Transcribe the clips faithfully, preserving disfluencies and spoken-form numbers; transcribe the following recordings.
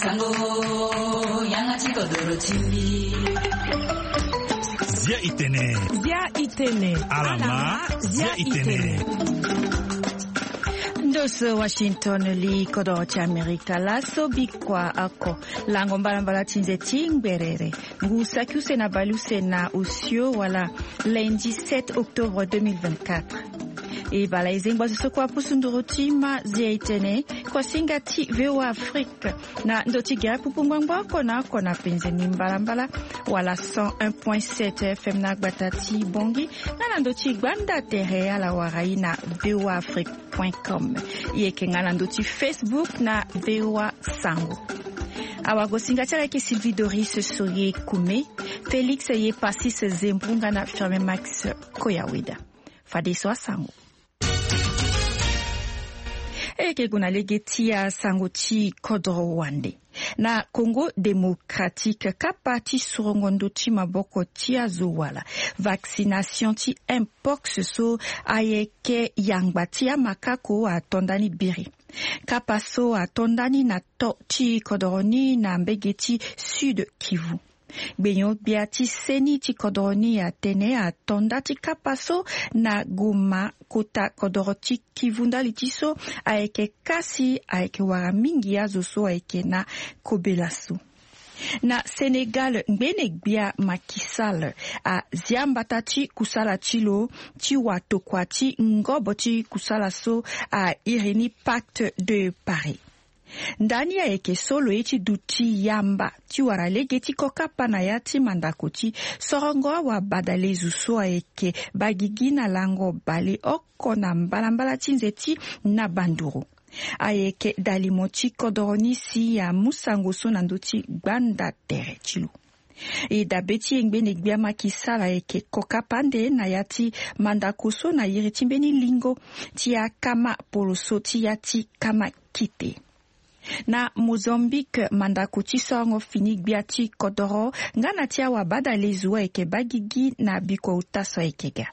Sango, yanga ti kodoro ti mbi. Zia itene. Zia itene. Alama, zia itene. Ndo so Washington li kodoro ti Amerika laso bikua oko. Lango mbalambala ti nze ti ngberere. Ngu saki use na bale use na osio wala lundi sept octobre deux mille vingt-quatre. E bala e zengba zo so kua pusu nduru ti ma zia itene. Kua singa ti V O A Afrique. Na ndo ti gere pupu ngbangbo oko na oko na penze ni mbalambala. Wala cent un point sept F M na gbata ti Bongi. Nga na ndo ti gbanda tere ala wara i na V O A Afrique point com. Yeke nga na ndo ti Facebook na V O A Sango. Awagosinga ti ala yeke Sylvie Doris Soye Kume, Félix Yepasis Zembrunga na Firme Max Koyaweda. Fadeso asango. E yeke gue na lege ti asango ti kodro wande. Na Congo Démocratique, kapa ti sorongo ndo ti maboko ti azo wala vaccination ti mpox so ayeke yangba ti amakako ato ndani biri. Kapa so ato ndani na to ti kodoro ni na mbege ti Sud Kivu. Gbenyo-gbia ti seni ti kodoro ni atene ato nda ti kapa so na Goma, kota kodoro ti Kivu ndali ti so ayeke kasi ayeke wara mingi azo so ayeke na kobela so. Na Sénégal, ngbene-gbia Macky Sall azia mbata ti kusala ti lo ti watokua ti ngobo ti kusala so a iri ni Pacte de Paris. Ndani ayeke so lo ye ti duti yamba ti wara lege ti kokapa na ya ti mandako ti sorongo awabadalezu so ayeke bagigi na lango bale oko na mbalambala ti nze ti na banduru. Ayeke dalimo ti kodoro ni si amu sango so na ndö ti gbanda tere ti lo. E dabe ti e ngbene-gbia Macky Sall ayeke kokapa ande na ya ti mandako so na iri ti mbeni lingo ti akama poroso ti ya ti kama kite. Na Mozambique, mandako ti sorongo fini-gbia ti kodoro nga na ti awabadalezu ayeke bagigi na bikua uta so ayeke ga.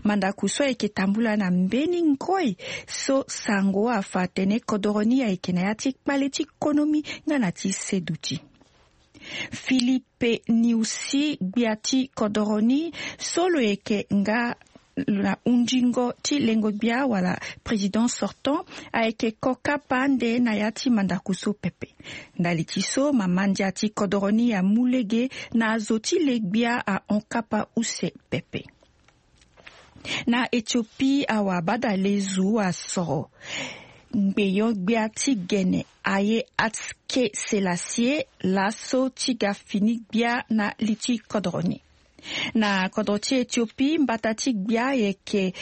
Mandako so ayeke tambula na mbeni ngoi so sango afa atene kodoro ni ayeke na ya ti kpale ti konomi nga na ti seduti. Philippe Nyusi, gbia ti kodoro ni so lo yeke nga na hundingo ti lengo-gbia wala président sortant, ayeke kokapa ande na ya ti mandako so pepe. Ndali ti so mama ndia ti kodoro ni amu lege na azo ti le-gbia ahon kapa use pepe. Na Éthiopie, awabadalezu asoro ngbenyo-gbia ti gene Haïlé Haïlé Sélassié laso ti ga fini-gbia na li ti kodoro ni. Na kodro ti Éthiopie, mbata ti gbia ayeke,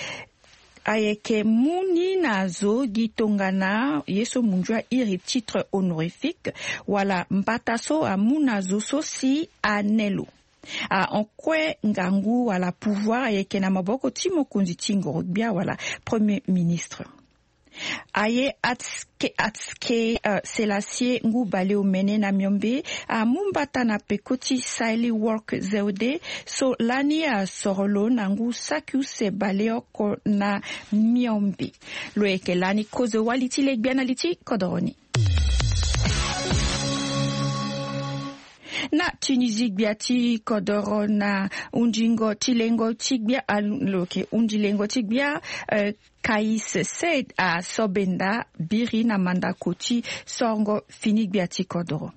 ayeke mu ni na zo gi tongana ye so munzu airi titre honorifique, wala mbata so amu na zo so si ane lo. Ahon kue ngangu wala pouvoir ayeke na maboko ti mokonzi ti ngoro-gbia wala premier ministre. Haïlé Haïlé, euh, Sélassié ngu baleomene na miombe amu mbata na peko ti Sahle-Work Zewde so lani asoro lo na ngu saki use baleoko na miombe. Lo yeke lani kozo wali ti le-gbia na li ti kodoro ni. Na Tunisie, gbia ti kodoro na hundingo ti lengo ti gbia, ah, lo yeke hundi lengo ti gbia, euh, Kais Saied asobenda biri na mandako ti sorongo fini-gbia ti kodoro.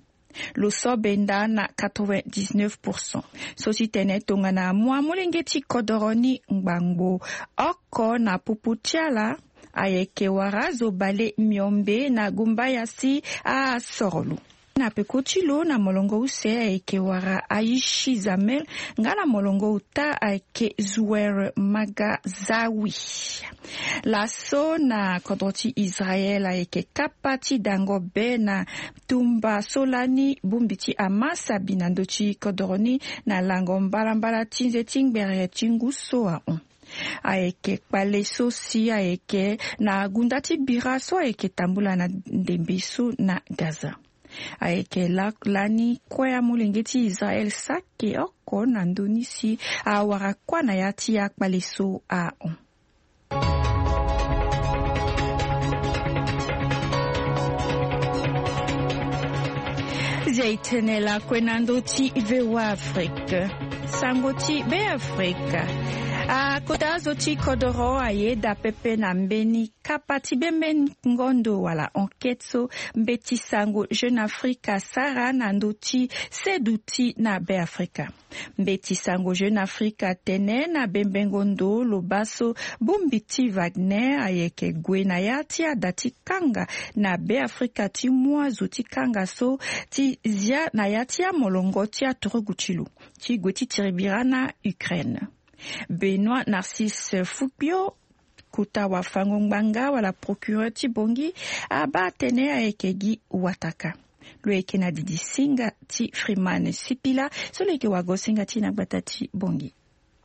Lo sobenda na quatre-vingt-dix-neuf pour cent. So ti tene tongana amu amolenge ti kodoro ni ngbangbo oko na popo ti ala, ayeke wara azo bale miombe na gumbaya si asoro lo. Na peko ti lo na molongo use ayeke wara Aishi Zamel, nga na molongo uta ayeke Zuer Magazawi. Laso na kodro ti Israel ayeke kapa ti dango be na tumba so lani bongbi ti Hamas abi na ndö ti kodro ni na lango mbalambala ti nze ti ngbere ti ngu so ahon. Ayeke kpale so si ayeke na gunda ti bira so ayeke tambula na ndembe so na Gaza. Ayeke la-, lani kue amolenge ti Israel saki oko na ndö ni si awara kua na ya ti akpale so ahon. Zia itene lakue na ndö ti VOA Afrique. Sango ti Be Afrika. Akota azo ti kodoro ayeda pepe na mbeni kapa ti bembengo ndo wala enquête so mbeti sango Jeune Afrique asara na ndö ti seduti na Be Afrika. Mbeti sango Jeune Afrique atene na bembengo ndo lo baa so bongbi ti Wagner ayeke gue na ya ti ada ti kanga na Be Afrika ti mu azo ti kanga so ti zia na ya ti amolongo ti aturugu ti lo ti gue ti tiri bira na Ukraine. Benoît Narcisse Fukpio, kota wafango ngbanga wala procureur ti Bangui, abaa atene ayeke gi wataka. Lo yeke na didi singa ti Freeman Sipila so lo yeke wago singa ti na gbata ti Bangui.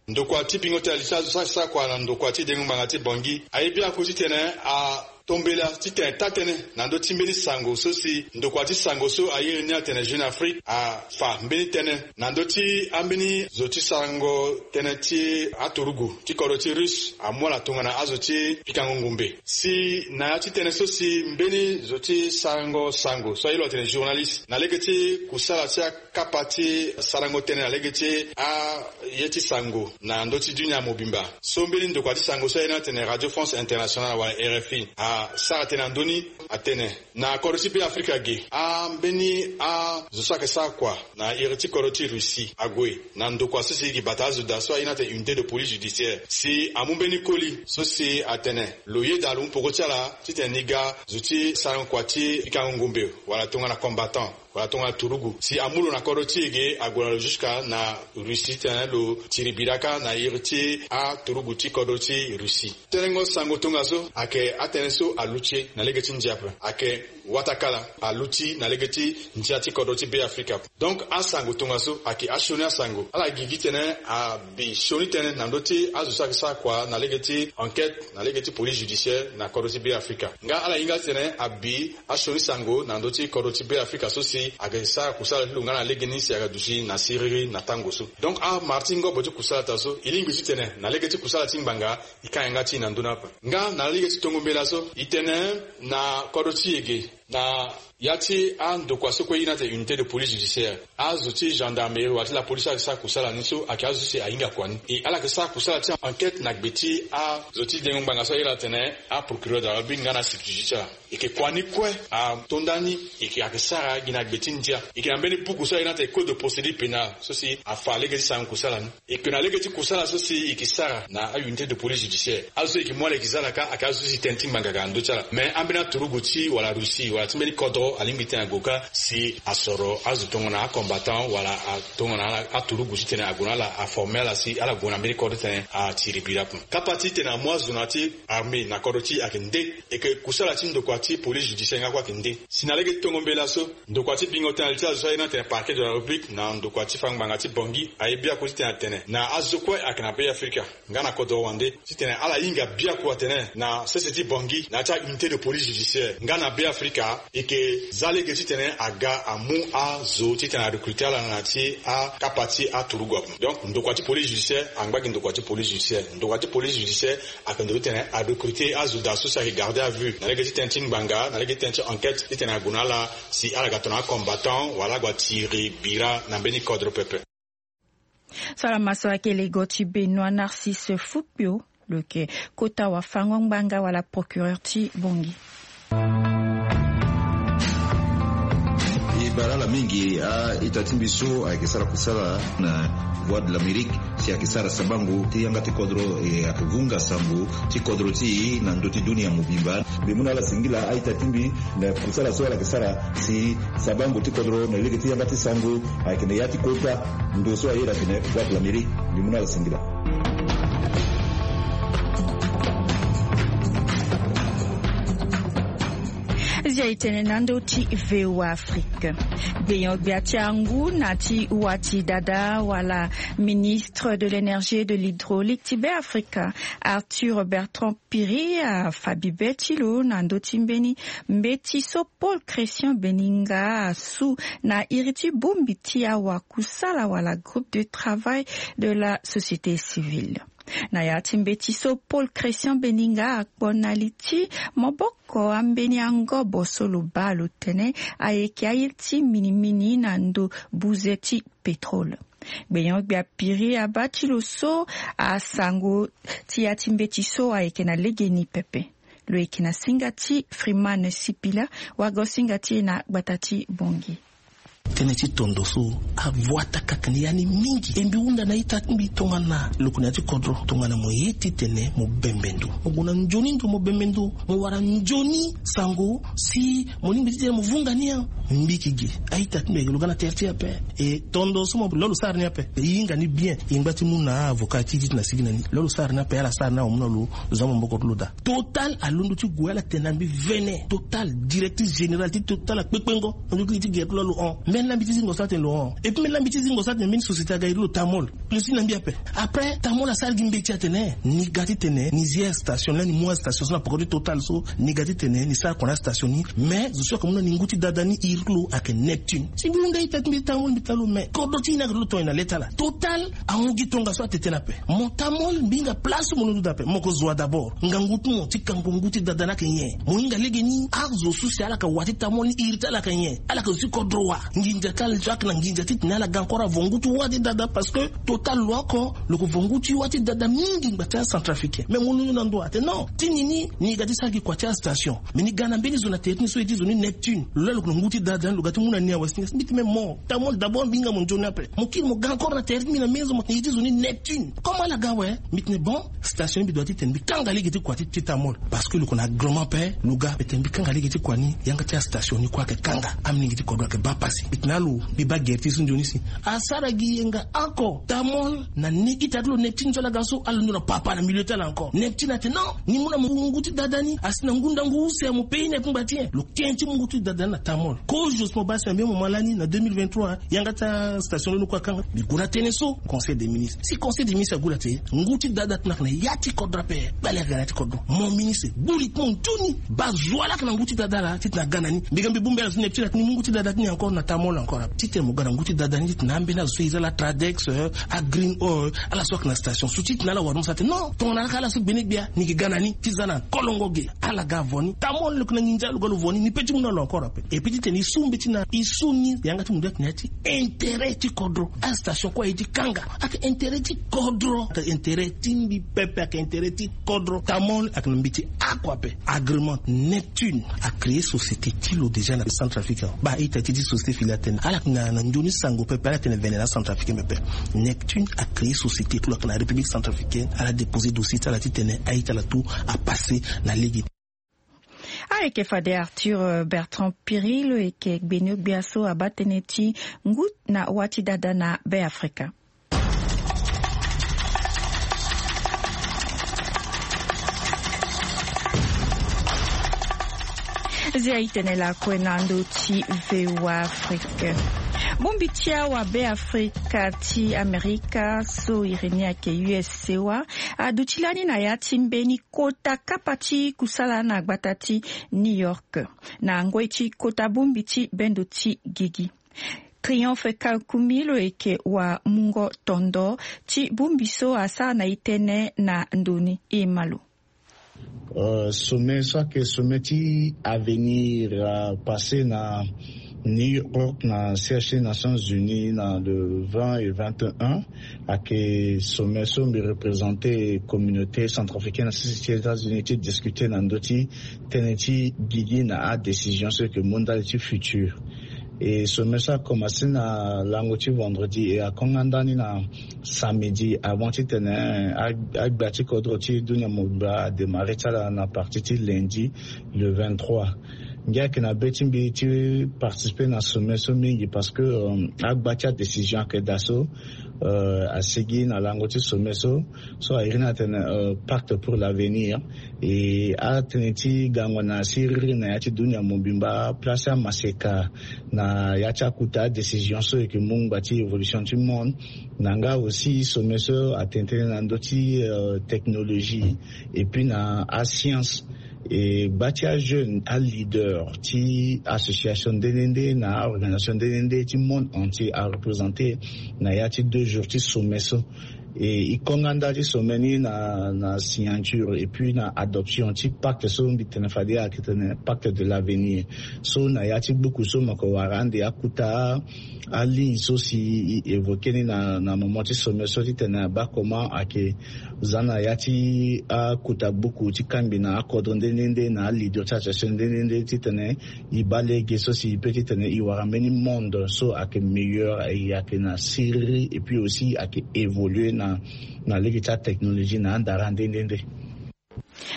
Ndokua ti bingo ti ali ti azo so asara kua na ndokua ti dengo ngbanga ti Bangui aye biaku titene atombela titene taa-tënë na ndö ti mbeni sango so si ndokua ti sango so airi ni atene Jeune Afrique afa mbeni tënë na ndö ti ambeni zo ti sarango tënë ti aturugu ti kodro ti Russe amu ala tongana azo ti pikango ngumbe. Si na ya ti tënë so si mbeni zo ti sarango sango so aye lo atene journaliste na lege ti kusala ti akapa ti sarango tënë na lege ti aye ti sango na ndö ti dunia mobimba. So mbeni ndokua ti sango so aye ni atene Radio France Internationale wala R F I asara tënë na ndö ni, atene na kodro ti Be Afrika ge, ambeni azo so ayeke sara kua na iri ti kodro ti Russie ague na ndokua so si e yeke bata azo daa so aye ni atene unité de police judiciaire si amu mbeni koli so si atene lo yeda lo mu peko ti ala titene ni ga zo ti sarango kua ti pikango ngumbe wala tongana combattant wala tongana turugu si amu lo na kodro ti e ge ague na lo jusqu'à na Russie titene lo tiri bira kâ na iri ti aturugu ti kodro ti Russie. Tenengo sango tongaso ayeke atënë so aluti na lege ti ndia ape, ayeke watakala aluti na lege ti ndia ti kodro ti Be Afrika. Donc asango tongaso ayeke asioni asango. Ala gi gi titene abi sioni tënë na ndö ti azo so ayeke sara kua na lege ti enquête na lege ti police judiciaire na kodro ti Be Afrika. Nga ala hinga titene abi asioni sango na ndö ti kodro ti Be Afrika so si ayeke sara kusala ti lo nga na legeni si ayeke duti na siriri na tango so. Donc amara ti ngobo ti kusala ta so e lingbi titene na lege ti kusala ti ngbanga e ka yanga ti e na ndö ni ape. Nga na lege ti tongo mbela so e tene na kodro ti e ge na ya ti andokua so kue e iri ni atene unité de police judiciaire, azo ti gendarmerie wala ti la police ayeke sara kusala ni so ayeke azo so si ahinga kua ni. E ala yeke sara kusala ti enquête na gbe ti azo ti dengo ngbanga so aye lo atene aprocureur de la République nga na substitut ti ala. E yeke kua ni kue ato ndani. E yeke ayeke sara gi na gbe ti ndia. E yeke na mbeni buku so aye ni atene code de procédure pénale so si afa lege ti sarango kusala ni. E yeke na lege ti kusala so si e yeke sara na aunité de police judiciaire. Azo so e yeke mu ala e yeke za ala kâ ayeke azo so si tënë ti ngbanga ayeke na ndö ti ala. Mais ambeni aturugu ti wala Russie wala ti mbeni kodro alingbi titene ague kâ si asoro azo tongana acombattant wala a tongana ala aturugu titene ague na ala aforme ala si ala gue na mbeni kodro titene atiri bira ape. Kapa titene amu azo na ya ti armée na kodro ti e ayeke nde. E yeke kusala ti ndokua ti police judiciaire nga kue ayeke nde. Si na lege ti tongo mbela so ndokua ti bingo tënë na li ti azo so aye ni atene parquet de la République na ndokua ti fango ngbanga ti Bangui aye biaku titene atene na azo kue ayeke na Be Afrika nga na kodro wande titene ala hinga biaku atene na sese ti Bangui na ya ti aunité de police judiciaire nga na Be Afrika e yeke za lege titene aga amu azo titene arecruter ala na ya ti akapa ti aturugu ape. Donc ndokua ti police judiciaire angba gi ndokua ti police judiciaire. Ndokua ti police judiciaire ayeke ndo titene arecruter azo daa so si ayeke garde à vue na lege ti tënë ti ngbanga na lege ti tënë ti enquête titene ague na ala si ala ga tongana acombattant wala ague atiri bira na mbeni kodro pepe. So ala ma so ayeke lego ti Benoît Narcisse Fukpio, lo yeke kota wafango ngbanga wala procureur ti Bangui. E bara ala mingi a-ita ti mbi so ayeke sara kusala na Voix de l'Amérique si ayeke sara sabango ti yanga ti kodro, e ayeke vunga sango ti kodro ti e na ndö ti dunia mobimba. Mbi mu na ala singila a-ita ti mbi na kusala so ala yeke sara si sabango ti kodro na lege ti yanga ti sango ayeke na ya ti kota ndo so aye atene Voix de l'Amérique. Mbi mu na ala singila. Zia e tene na ndö ti VOA Afrique. Gbenyo-gbia ti angu na ti wati dada wala ministre de l'énergie et de l'hydraulique ti Be Afrika, Arthur Bertrand Piri, afa bibe ti lo na ndö ti mbeni mbeti so Paul Christian Beninga asu na iri ti bongbi ti awakusala wala groupe de travail de la société civile. Na ya ti mbeti so, Paul Christian Beninga akpo na li ti maboko ambeni angobo so lo baa lo tene ayeke aye ti minimini na ndo buze ti pétrole. Gbenyo-gbia Piri abaa ti lo so asango ti ya ti mbeti so ayeke na legeni pepe. Lo yeke na singa ti Freeman Sipila, wago singa ti e na gbata ti Bongi. Tënë ti tondo so avoa takaka ni ya ni mingi. E mbi hunda na ita ti mbi tongana lo yeke na ya ti kodro, tongana mo ye titene mo bembe ndo, mo gue na nzoni ndo, mo bembe ndo, mo wara nzoni sango si mo lingbi titene mo vunga ni. Mbi yeke gi a-ita ti mbi ayeke lo ga na tere ti e ape. E tondo so mo lo lo sara ni ape. E hinga ni bien. E ngba ti mu na avocat ti titene asigi na ni. Lo lo sara ni ape, ala sara ni awe, mu na lo zo maboko ti lo daa. Total alondo ti gue ala tene na mbi vene. Total, directrice générale ti Total akpekpengo na ndo ti gere ti lo, lo hon. Mbeni lambi ti zingo so atene lo hon. Et puis mbeni lambi ti zingo so atene mbeni société aga iri lo Tamol. Lo si na mbi ape. Après Tamol asara gi mbeti atene ni ga titene ni zi astation lani, ni mu astation so na poko ti Total so, ni ga titene ni sara kua na astation ni. Mais zo so ayeke mu na ni ngu ti dada ni iri lo ayeke Neptune. Si mbi hunda ita ti mbi Tamol, mbi tene lo, mais kodro ti ni ayeke ti lo tonga na le ti ala. Total ahon gi tongaso atene tënë ape. Mo Tamol, mbi hinga place mo londo daa ape. Mo ko zo wa d'abord. Ngangu ti mo ti kango ngu ti dada ni ayeke nyen? Mo hinga legeni azo so si ala yeke wa ti Tamol ni iri ti ala ayeke nyen? Ala yeke zo ti kodro wa? Nginza ti ala so ayeke na nginza titene ala ga encore avo ngu ti wa ti dada, parce que Total lo oko lo yeke vo ngu ti wa ti dada mingi ngba ti acentrafricain. Mais mo londo na ndo atene non, ti ni ni, ni ga ti sara gi kua ti astation. Mais ni ga na mbeni zo na tere ti ni so e ti zo ni Neptune. Lo laa lo yeke na ngu ti dada ni, lo ga ti mu na ni awe si ni. Mbi tene mais mo Tamol, d'abord mbi hinga mo nzoni ape. Mo kiri mo ga encore na tere ti mbi na mbeni zo, mo tene e ti zo ni Neptune. Comment ala ga awe? Mbi tene bon, station ni mbi doit titene mbi kanga lege ti kua ti, ti Tamol. Parce que lo yeke na agrément ape, lo ga, mbi tene mbi kanga lege ti kua ni, yanga ti astation ni kue ayeke kanga. Amolenge ti kodro ayeke baa pasi. Mbi tene alo, mbi baa gere ti so nzoni si. Asara gi yenga oko. Tamol na ni ita ti lo Neptune so ala ga so, ala londo na papa na milieu ti ala encore. Neptune atene non, ni mu na mo ngu ti dada ni, asi na ngu ndangu use ya mo pays ni ape ngbati nyen? Lo ke ti mu ngu ti dada ni na Tamol. Kozo si mo baa si na mbeni moment lani na deux mille vingt-trois, yanga ti astation ni kue akanga. Mbi gue na tënë so Conseil des ministres. Si Conseil des ministres ague la te, ngu ti dada ti ni ayeke na ya ti kodro ape. Kpale ayeke na ya ti kodro. Mo ministre, gbu li ti mo nzoni. Baa zo wa laa ayeke na ngu ti dada laa titene aga na ni. Mbi ga mbi bongbi ala so Neptune atene ni mu ngu ti dada ti ni encore na Tamol encore ape. Titene mo ga na ngu ti dada ni titene ambeni azo so iri ala Tradex, euh, a Green Oil, ala so ayeke na station so titene ala wara mo sa atene non, tongana ala ka ala so gbene gbia, ni yeke ga na ni ti za na kolongo ge. Ala ga avo ni. Tamol lo yeke na nginza, lo ga lo vo ni, ni pe ti mu na lo encore ape. Et puis titene e su mbeti na, e su ni, yanga ti mundu ayeke na ya ti intérêt ti kodro. Astation kue aye ti kanga. Ayeke intérêt ti kodro. Ayeke intérêt ti mbi pepe, ayeke intérêt ti kodro. Tamol ayeke na mbeti oko ape. Agrément Neptune a créé société ti lo déjà na Centrafrique. Baa ita ti ti société filiale ti tene ala yeke na, na nzoni sango pepe, ala tene vene na Centrafrique pepe. Neptune a créé société ti lo ayeke na République centrafricaine, ala déposé dossier ti ala titene a-ita ala tout a passé na lege. Ayeke fade Arthur, euh, Bertrand Piri, lo yeke gbeni-gbia so abaa tënë ti ngu na wa ti dada na Be Afrika. Zia itene lakue na ndo ti V O A Afrique. Bongbi ti awa Be Afrika ti Amerika so iri ni ayeke U S C O A aduti lani na ya ti mbeni kota kapa ti kusala na gbata ti New York, na ngoi ti kota bongbi ti bendo ti gigi. Triomphe Kakumi lo yeke wamungo tondo ti bongbi so asara na e tënë na ndo ni. E ma lo. Euh, sommet so ayeke sommet ti avenir, euh, apassé na New York na siège ti Nations Unies na le vingt et vingt et un. Ayeke sommet so mbi représenté communauté centrafricaine na sese ti États-Unis ti discuter na ndö ti tënë ti gigi na adécision so yeke mu ndali ti futur. E sommet so akomanse na lango ti vendredi e akonga ndani na samedi avant titene a, agbia ti kodro ti dunia mobimba adémarré ti ala na partie ti lundi le vingt-trois. Ngia ayeke na be ti mbi ti participer na sommet so mingi parce que, euh, agba ti adécision ayeke daa so, euh, asigi na lango ti sommet so, so a iri ni atene, euh, pacte pour l'avenir. E atënë ti gango na siriri na ya ti dunia mobimba, place amaseka na ya ti akota adécision so e yeke mu ngba ti évolution ti monde. Na nga aussi sommet so atene tënë na ndö ti, euh, technologie et puis na ascience. E gba ti ajeune aleader ti association nde nde nde na aorganisation nde nde nde ti monde entier areprésenté na ya ti deux jours ti sommet so. E e konga nda ti sommet ni na na signature et puis na adoption ti pacte so mbi tene fade ayeke tene pacte de l'avenir. So na ya ti buku so mo yeke wara ande akuta aligne so si e évoquer ni na na moment ti sommet so titene abaa comment ayeke za na ya ti akuta buku ti kangbi na akodro nde nde nde na aleader ti association nde nde nde titene e baa lege so si e peut titene e wara mbeni monde so ayeke meilleur, e ayeke na siriri et puis aussi ayeke évoluer na na lege ti atechnologie na andara nde nde nde.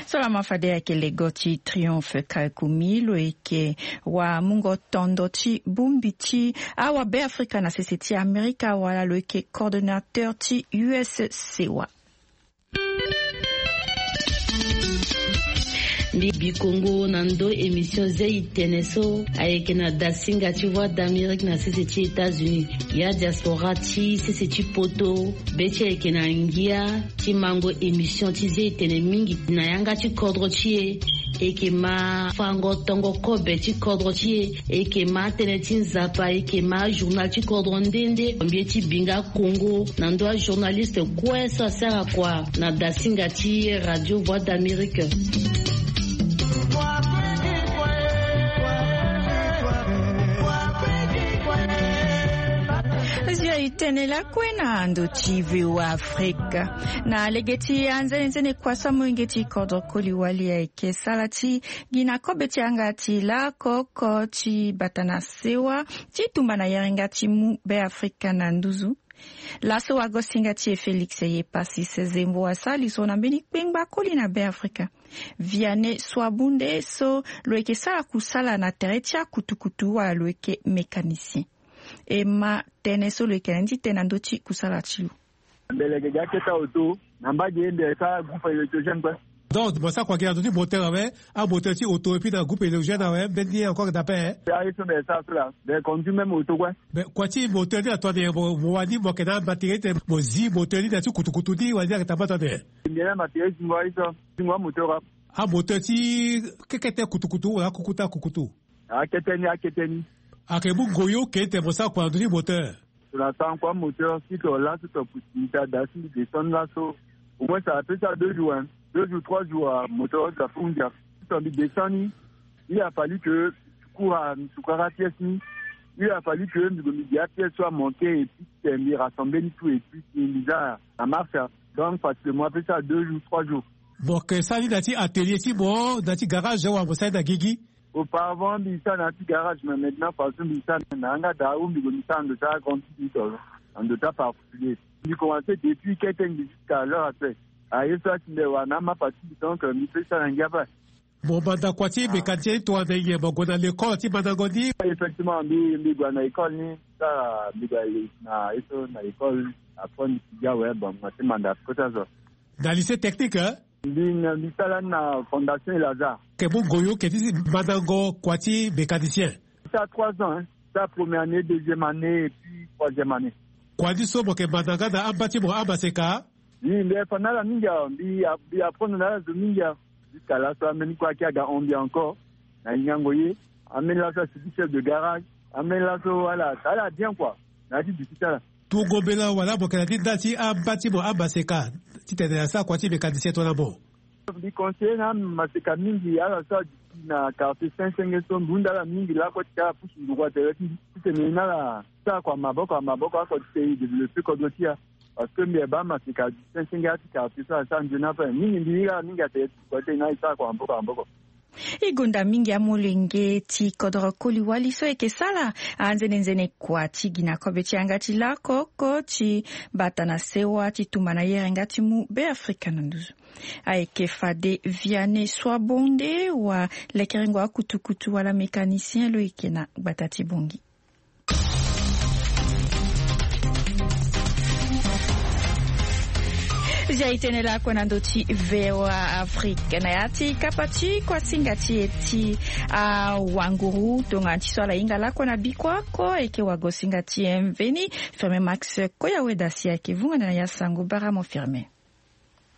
So lama fade ayeke lego ti Triomphe Kalkumi, lo yeke wamungo tondo ti bongbi ti awabe afrika na sese ti amerika wala lo yeke coordonnateur ti U S C wa. Mbi bi kongo na ndo émission zei tene so ayeke na dasinga ti voix d'amérique na sese ti états-unis. Ya diaspora ti sese ti poto be ti ayeke na ngia ti mango émission ti zei tene mingi na yanga ti kodro ti e. Eke ma fango tongo kobe ti kodro ti e. Eke ma tënë ti nzapa eke ma journal ti kodro nde nde mbi ye ti binga kongo na ndo ajournaliste kue so asara kua na dasinga ti radio voix d'amérique. Zia itene lakue na ndo ti voa afrika na lege ti anzenenzene kua so amolenge ti kodro koli wali ayeke sala ti gi na kobe ti yanga ti lakoko ti bata na sewa ti tumba na yeringa ti mu be afrika na nduzu. Laso wagosinga ti e félix ye pasi sezembo asali so na mbeni kpengba koli na be afrika. Viane swabunde so lo yeke sara kusala na tere ti akutukutu wala lo yeke mécanicien. E ma tënë so lo yeke na ni ti tene na ndö ti kusala ti lo. Mbele ge gi akete auto na mbage mbi sara groupe électrogène kue. Donc mo sara kua gi na ndö ti moteur awe. Amoteur ti auto epui na groupe électrogène awe mbeni ye encore dape. Aye so mbi sara so la mbi conduit même auto kue. Mais kua ti moteur ni ato ande mo wani mo yeke na matériel ti tene mo zi moteur ni na ti kutukutu ni wala ni ayeke tambata ande? Mbi na matériel zingo aye so zingo amoteur ape. Amoteur ti kekete kutukutu wala akukutu akukutu? Akete ni akete ni. Ayeke mu ngoyo ke ti tene mo sara kua na ndö ti moteur? So na sara kua moteur si to laso to pusi mbi ti ada si mbi descend laso. Au moins ça peut sara deux jours hein, deux jours trois jours moteur so afu ndia. Si to mbi descend ni il a fallu que cours a mbi sukara pièce ni. Il a fallu que mbi gue mbi dia pièce so amanke et puis ti tene mbi rassembler ni tout et puis ti mbi za na marche. Donc facilement ape sara deux jours trois jours. Mo yeke sara ni na ti atelier ti mo na ti garage wala mo sara ni na gigi? Auparavant mbi sara na ya ti garage mais maintenant façon mbi sara na yanga daa ou mbi gue mbi sara na ndo ti agrande ti mbi to na ndo ti aparticulier. Mbi commence depuis kete mbi jusqu'à l'heure actuelle. Aye so ati mbi wara na amapa ti mbi donc mbi pe sara na ngia ape. Mo manda kua ti mécanicien ti tongana nyen mo gue na l'école ti mandango ni? Effectivement mbi mbi gue na école ni. Sara mbi gue na ye so na école. Après mbi ti gi awe bon mo ti manda kota so. Na lycée technique hein? Mbi na mbi sara ni na fondation elazar. Ke mu ngoyo ke ti mandango kua ti mécanicien? Sara trois ans hein. Sara première année deuxième année et puis troisième année. Kua ni so mo yeke manda nga na amba ti mo amaseka? Mbi mbi fa na ala mingi awe mbi mbi apprendre na ala zo mingi awe. Jusqu'à laso ambeni kue ayeke aga hon mbi encore. Na hingango ye. Ambeni laso asi gi chef de garage. Ambeni laso ala ala bien kua. Na ya ti duti ti ala. Tungo mbela wala mo yeke na ni nda ti amba ti mo amaseka titene asara kua ti mécanicien tongana mo? Mbi conseiller na amaseka mingi ala so aduti na quartier sensenge so mbi hunda ala mingi lako ti ala pusu nduru atere ti mbi titene na ala sara kua maboko na maboko oko ti e développer kodro ti e. Parce que mbi yeba amaseka aduti sensenge ala ti quartier so ala sara nzoni ape mingi mbi hiri ala mingi atere ti kua ti e na ala sara kua maboko na maboko. E gonda mingi amolenge ti kodro koli wali so eke sara anzenenzene kua ti gi na kobe ti yanga ti lakoko ti bata na sewa ti tumba na yere nga ti mu be afrika na nduzu. Ayeke fade viane swabonde wa lekerengo akutukutu wala mécanicien lo yeke na gbata ti bongi. Zia itene lakue na ndo ti voa afrique na ya ti kapa ti kuasinga ti e ti awanguru tongana ti so ala hinga lakue na biko ako eke wagosinga ti e mveni. Firme max koya weda si ayeke vunga na ya sango baramo firme.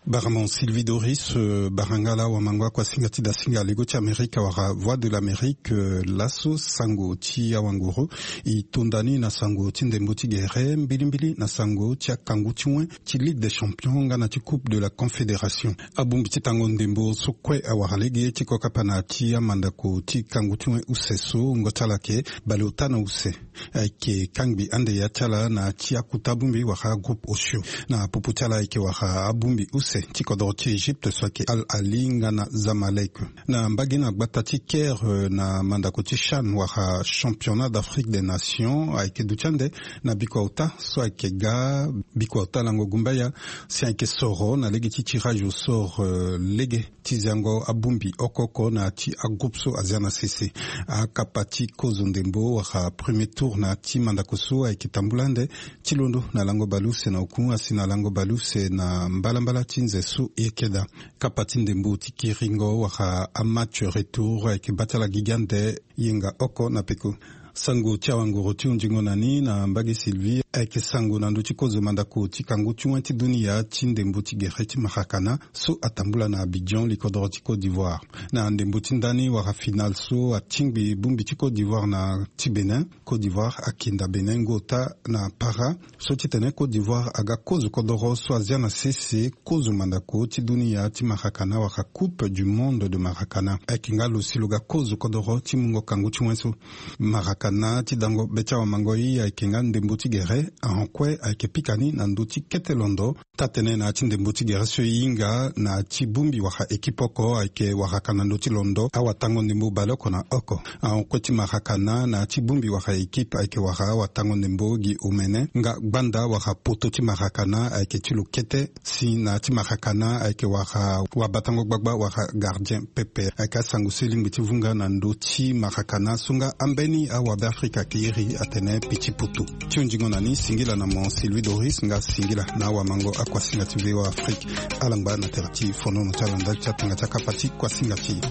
Baramon Sylvie Doris, barangala wamango akuasinga ti dasinga lego ti Amerika wala Voix de l'Amérique. Laso sango ti awanguru e tonda ni na sango ti ndembo ti gere mbilimbili na sango ti akangu ti wen ti Ligue des Champions nga na ti Coupe de la Confédération. Abongbi ti tango ndembo so kue awara lege ti kokapa na ti amandako ti kangu ti wen use so ngo ti ala ayeke baleota na use. Ayeke kangbi ande ya ti ala na ti akuta bongbi wala groupe osio. Na popo ti ala ayeke wara abongbi use ti kodoro ti Egypte so ayeke Al Ahli nga na Zamalek. Na mbage na gbata ti Caire, na mandako ti CHAN wala Championnat d'Afrique des Nations, ayeke duti ande na bikua ota so ayeke ga bikua ota lango gumbaya si ayeke soro na lege ti tirage au sort lege ti ziango abongbi oko oko na ti agroupe so azia na sese. Akapa ti kozo ndembo wala premier tour na ti mandako so ayeke tambula ande ti londo na lango baleuse na oku asi na lango baleuse na mbalambala ti nze so e yeke daa. Kapa ti ndembo ti kiringo wala amatch retour ayeke baa ti ala gigi ande yenga oko na peko. Sango ti awanguru ti hunzingo na ni na mbage Sylvie ayeke sango na ndö ti kozo mandako ti kangu ti wen ti dunia ti ndembo ti gere ti marakana so atambula na Abidjan, likodoro ti Côte d'Ivoire. Na ndembo ti ndani wala finale so atingbi bongbi ti Côte d'Ivoire na ti Bénin. Côte d'Ivoire akinda Bénin ngo ota na para. So titene Côte d'Ivoire aga kozo kodoro so azia na sese kozo mandako ti dunia ti marakana wala Coupe du Monde de Marakana. Ayeke nga lo si lo ga kozo kodoro ti mungo kangu ti wen so. Marakana ti dango be ti awamango ye ayeke nga ndembo ti gere ahon kue ayeke pika ni na ndö ti kete londo. Taa-tene na ya ti ndembo ti gere so e hinga na ya ti bongbi wala ekipe oko ayeke waraka na ndö ti londo awatango ndembo baleoko na oko. Ahon kue ti marakana na ya ti bongbi wala ekipe ayeke wara awatango ndembo gi omene nga gbanda wala poto ti marakana ayeke ti lo kete. Si na ya ti marakana ayeke wara wabatango gbagba wala gardien pepe. Ayeke asango so e lingbi ti vunga na ndö ti marakana so nga ambeni awabe afrika ayeke iri atene piti poto. Ti hunzingo na ni singila na mo Sylvie Doris nga singila na awamango akuasinga ti VOA Afrique. Ala ngba na tere ti fonono ti ala ndali ti atanga ti akapa ti kuasinga ti e.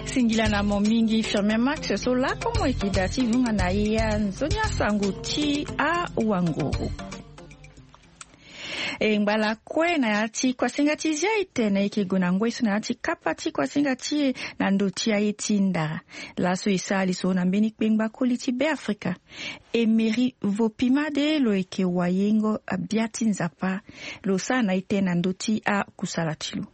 Singila na mo mingi Firmin Max so lako mo yeke daa ti vunga na e ya nzoni asango ti awanguru. E ngba lakue na ya ti kuasinga ti zia e tene e yeke gue na ngoi so na ya ti kapa ti kuasinga ti e na ndö ti aye ti ndara. Laso e sara lisoro na mbeni kpengba koli ti Beafrika. Emery Vopimade lo yeke wayengo abia ti Nzapa. Lo sara na e tene na ndö ti akusala ti lo.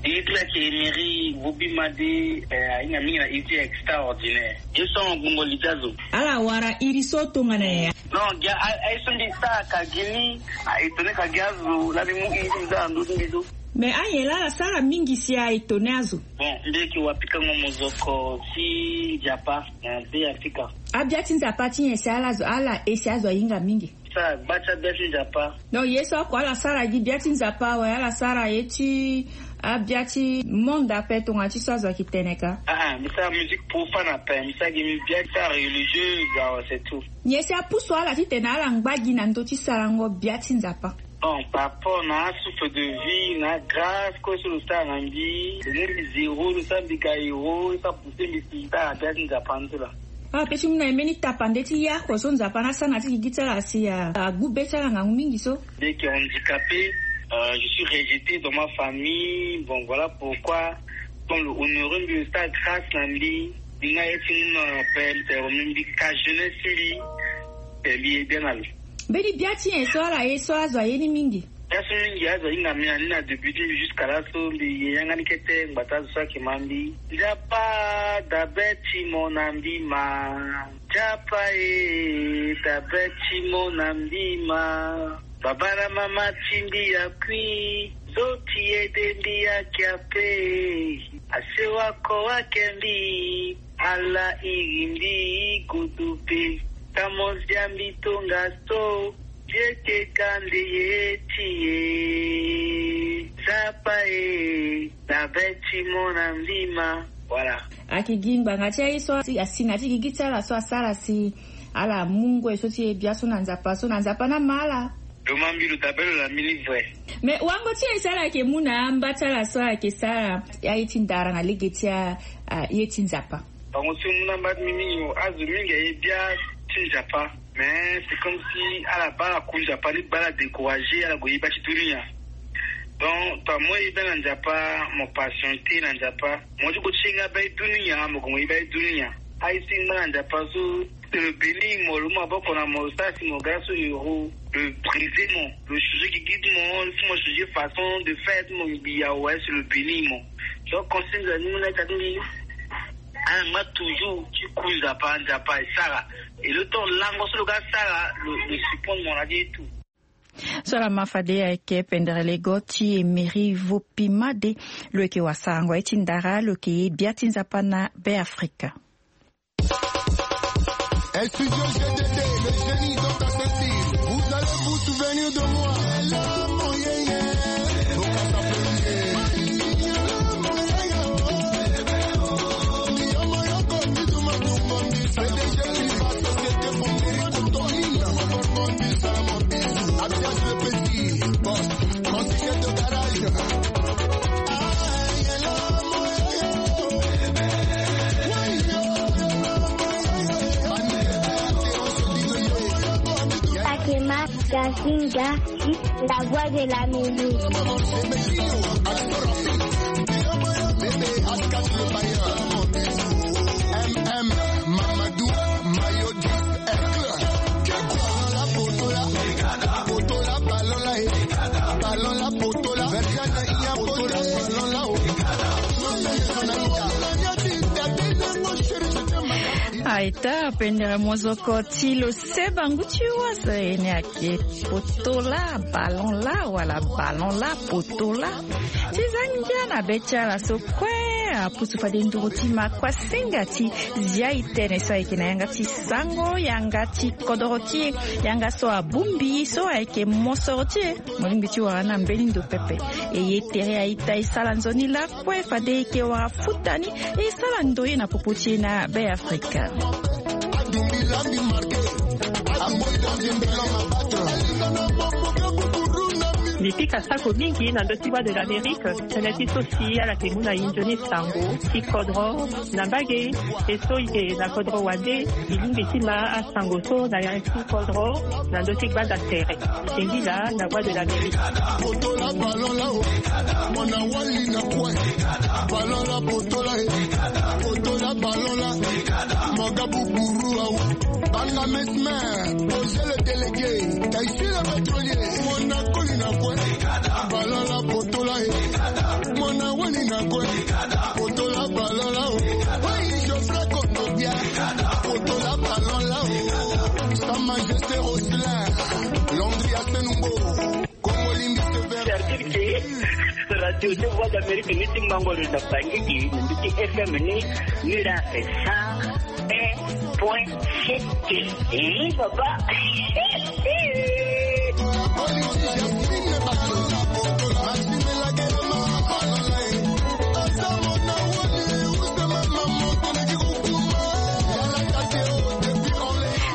Iri ti la ke Emery Vopimade, eh, ahinga mingi na iri ti extraordinaire. Ye so ngbongo li ti azo. Ala wara iri so tongana ya. Non, gia a, a ye so mbi sara ka gi ni, a étonné ka gi azo, la mbi mu iri ti mbi sara na ndö ti mbi so. Mais anyen laa ala sara mingi si a étonné azo. Bon, mbi yeke wapikango mozoko ti Nzapa na Beafrika. Abia ti Nzapa ti nyen si ala zo, ala e si azo ahinga mingi. Sara gba ti abia ti Nzapa. Donc ye so oko ala sara gi bia ti Nzapa awe, ala sara ye ti abia ti monde ape tongana ti so azo ayeke tene ka. Ah, ah, mbi sara musique profane ape, mbi sara gi mbi bia ti sara religieuse awe, c'est tout. Nyen si apusu ala titene ala ngba gi na ndö ti sarango bia ti Nzapa? Bon, par rapport na asouffle de vie na grâce kue so lo sara na mbi, lo mu mbi zéro, lo sara mbi ga héros, lo sara pousser mbi si sara bia ti Nzapa ni so laa. Ah, pe ti mu na e mbeni tapande ti ye oko so Nzapa ni asara na ti gigi ti ala si a, agbu be ti ala ngangu mingi so. Mbi yeke handicapé, euh, je suis rejeté dans ma famille. Bon, voilà pourquoi, comme lo honoré mbi, lo sara grâce na mbi, mbi nga ye ti mu na pele, mbi ka jeunesse ti mbi, pe mbi ye bien na lo. Mbeni bia ti nyen so ala ye so azo aye ni mingi? Bia so mingi azo ahinga mbi na ni na début ti mbi jusqu'à laso mbi ye yanga ni kete ngbata azo so ayeke ma mbi. Nzapa, da be ti mo na mbi ma. Nzapa e, da be ti mo na mbi ma. Baba na mama ti mbi akui, zo ti ede mbi ayeke ape. Asewa ko ayeke mbi, ala iri mbi godo pe. Ka mo zia mbi tongaso, Dieu ke kande ye ti ye. Nzapa e, na be ti mo na mbi ma. Voilà. Ayeke gi ngbanga ti aye so asi na ti gigi ti ala so asara si ala mu ngoi so ti ye bia so na Nzapa so na Nzapa ni ama ala. Lo ma mbi lo daa be lo na mbi ni vrai. Mais wango ti nyen si ala yeke mu na amba ti ala so ala yeke sara aye ti ndara na lege ti a, a, ye ti Nzapa? Bango so mu na amba ti mbi mingi mo, azo mingi aye bia ti Nzapa. Mais c'est comme si ala baa ala ku Nzapa ni, baa ala découragé, ala gue yeba ti dunia. Donc tongana mo yeda na Nzapa, mo patienté na Nzapa, mo ti gue ti yenga baa ti dunia, mo gue mo yeba ti dunia. Aye ti ngba na Nzapa so, lo béni mo, lo mu maboko na mo, lo sara si mo ga so euro, lo brisé mo, lo changé gigi ti mo, lo mu mo changé façon de faire ti mo ngbii awe si lo béni mo. Donc conseil nzoni mu na ita ti mbi, ala ngba toujours ti ku Nzapa, Nzapa e sara. Et le temps lango so lo ga sara, lo, lo support mo na ti ye tout. So ala ma fade ayeke pendere lego ti Emery Vopimade, lo yeke wasarango aye ti ndara, lo yeke ye bia ti Nzapa na Beafrika. Studio G D D, le génie dans ta ceinture. Vous allez vous souvenir de moi. Fatima Gazinga, la voix de l'Amérique. M M Mamadou Mayo dix Aigle. Aita pendere mozoko ti lo seba ngu ti waso ene ake potola ballon la wala ballon la potola. Ti za ngia na be ti ala so kue apusu fade nduru ti ma kuasinga ti zia e tene so ayeke na yanga ti sango, yanga ti kodoro ti e, yanga so abongbi so ayeke mosoro ti e. Mo lingbi ti wara na mbeni ndo pepe. E ye tere aita e sara nzoni lakue fade e yeke wara futa ni, e sara ndoye na popo ti e na Beafrika. Mbi pika sako mingi na ndö ti Voix de l'Amérique, tënë ti so si ala yeke mu na e nzoni sango ti kodro na mbage. E so e yeke na kodro wande, e lingbi ti ma asango so na yanga ti kodro na ndö ti gbanda tere. Singila na Voix de l'Amérique. Potola ballon la o. Mo na wali na kue. Ballon la potola e. Potola ballon la. Mo ga buburu awa. Banga mesmer. Poser le délégué. Taïsi le pétrolier. Mo na koli na kue. Ballon la potola e. Mo na wali na kue. Potola ballon la o. Wai Geoffrey Kondogbia. Potola ballon la o. Sa Majesté Roselin. Landry Asenumbo. Kongo Lingiste Vert. C'est-à-dire que Radio de Voix d'Amérique ni ti mango lo na bangiki ni ti F M ni, ni la sa un point sept. Eh, papa.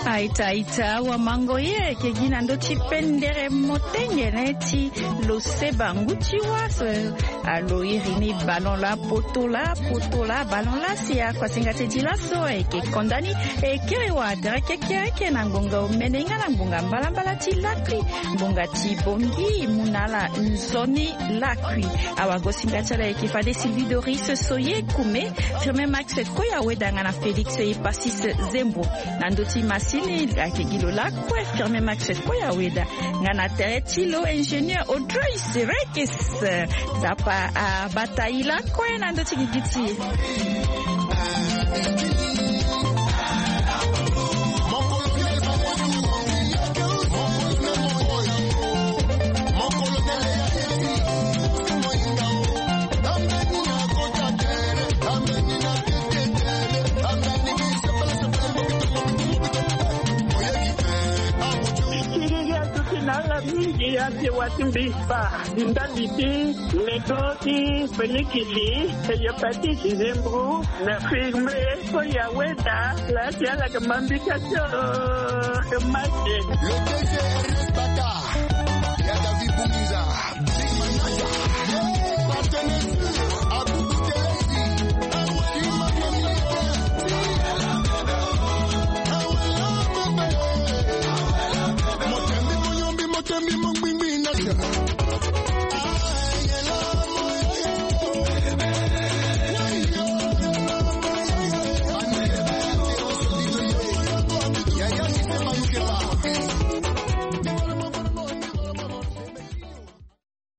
Aita, aita, wamango ye, ke gi na ndö ti pendere motengene ti lo seba ngu ti waso. Alo iri ni ballon la potola, potola, ballon la si akuasinga ti e di laso ayeke konda ni. E kiri wa tere kekereke na ngbonga omene nga na ngbonga mbalambala ti lakui, ngbonga ti bongi mu na ala nzoni lakui. Awagosinga ti ala ayeke fade Sylvie Doris Soye Kume, Firmin Max Koya Weda nga na Félix Epasis Zembo. Na ndö ti masini ayeke gi lo lakue Firmin Max Koya Weda. Nga na tere ti lo ingénieur Audrey Serekes. Nzapa abata e lakue na ndö ti gigi ti e. Siriri atuti na ala mingi ati wa ti mbi kpa. Ndali ti nego ti penikisi, hépatite, zembo, na firme, koya weda, la ti ala yeke ma mbi ka ti o, ke ma ti. Le D G Ernest Bata.